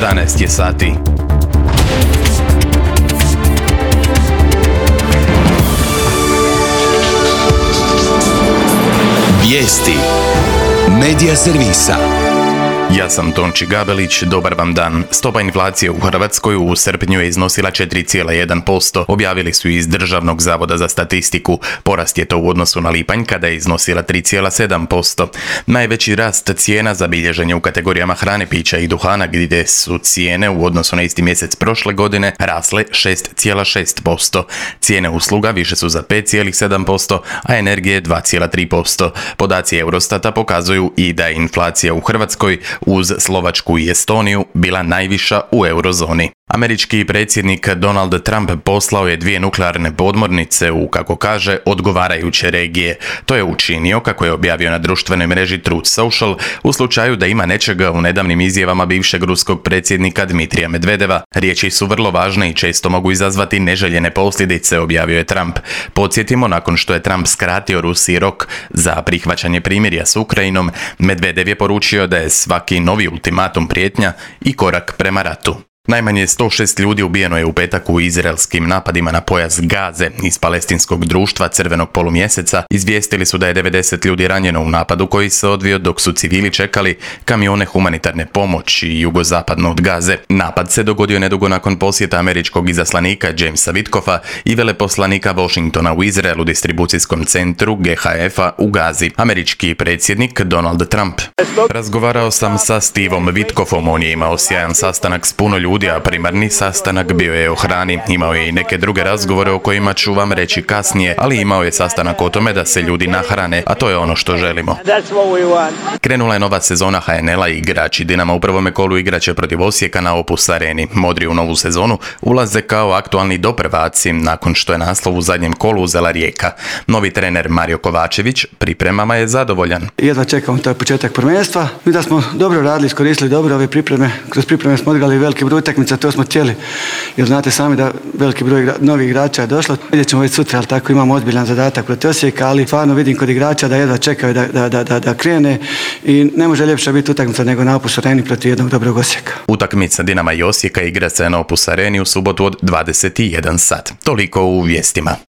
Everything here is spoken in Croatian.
11 je sati. Vijesti Medija servisa. Ja sam Tonči Gabelić, dobar vam dan. Stopa inflacije u Hrvatskoj u srpnju je iznosila 4,1%, objavili su iz Državnog zavoda za statistiku. Porast je to u odnosu na lipanj kada je iznosila 3,7%. Najveći rast cijena zabilježen je u kategorijama hrane, pića i duhana, gdje su cijene u odnosu na isti mjesec prošle godine rasle 6,6%. Cijene usluga više su za 5,7%, a energije 2,3%. Podaci Eurostata pokazuju i da je inflacija u Hrvatskoj uz Slovačku i Estoniju bila najviša u eurozoni. Američki predsjednik Donald Trump poslao je 2 nuklearne podmornice u, kako kaže, odgovarajuće regije. To je učinio, kako je objavio na društvenoj mreži Truth Social, u slučaju da ima nečega u nedavnim izjavama bivšeg ruskog predsjednika Dmitrija Medvedeva. Riječi su vrlo važne i često mogu izazvati neželjene posljedice, objavio je Trump. Podsjetimo, nakon što je Trump skratio Rusiji rok za prihvaćanje primirja s Ukrajinom, Medvedev je poručio da je svaki novi ultimatum prijetnja i korak prema ratu. Najmanje 106 ljudi ubijeno je u petak u izraelskim napadima na pojas Gaze. Iz palestinskog društva Crvenog polumjeseca izvijestili su da je 90 ljudi ranjeno u napadu koji se odvio dok su civili čekali kamione humanitarne pomoći jugozapadno od Gaze. Napad se dogodio nedugo nakon posjeta američkog izaslanika Jamesa Witkoffa i veleposlanika Washingtona u Izraelu distribucijskom centru GHF-a u Gazi. Američki predsjednik Donald Trump: razgovarao sam sa Stevom Witkoffom, on je imao sjajan sastanak s puno ljudi, a primarni sastanak bio je o hrani. Imao je i neke druge razgovore o kojima ću vam reći kasnije, ali imao je sastanak o tome da se ljudi nahrane, a to je ono što želimo. Krenula je nova sezona HNL-a i igrači Dinama u prvome kolu igraće protiv Osijeka na Opus Areni. Modri u novu sezonu ulaze kao aktualni doprvaci nakon što je naslov u zadnjem kolu uzela Rijeka. Novi trener Mario Kovačević pripremama je zadovoljan. Jedva čekamo taj početak prvenstva. Mi da smo dobro radili, iskoristili dobro ove pripreme. Kroz pripreme smo odigrali veliki broj utakmica, to smo htjeli, jer znate sami da veliki broj novih igrača je došlo. Vidjet ćemo već sutra, ali tako imamo ozbiljan zadatak protiv Osijeka, ali stvarno vidim kod igrača da jedva čekaju da krene i ne može ljepša biti utakmica nego na Opus Areni protiv jednog dobrog Osijeka. Utakmica Dinama i Osijeka igra se na Opus Areni u subotu od 21 sat. Toliko u vijestima.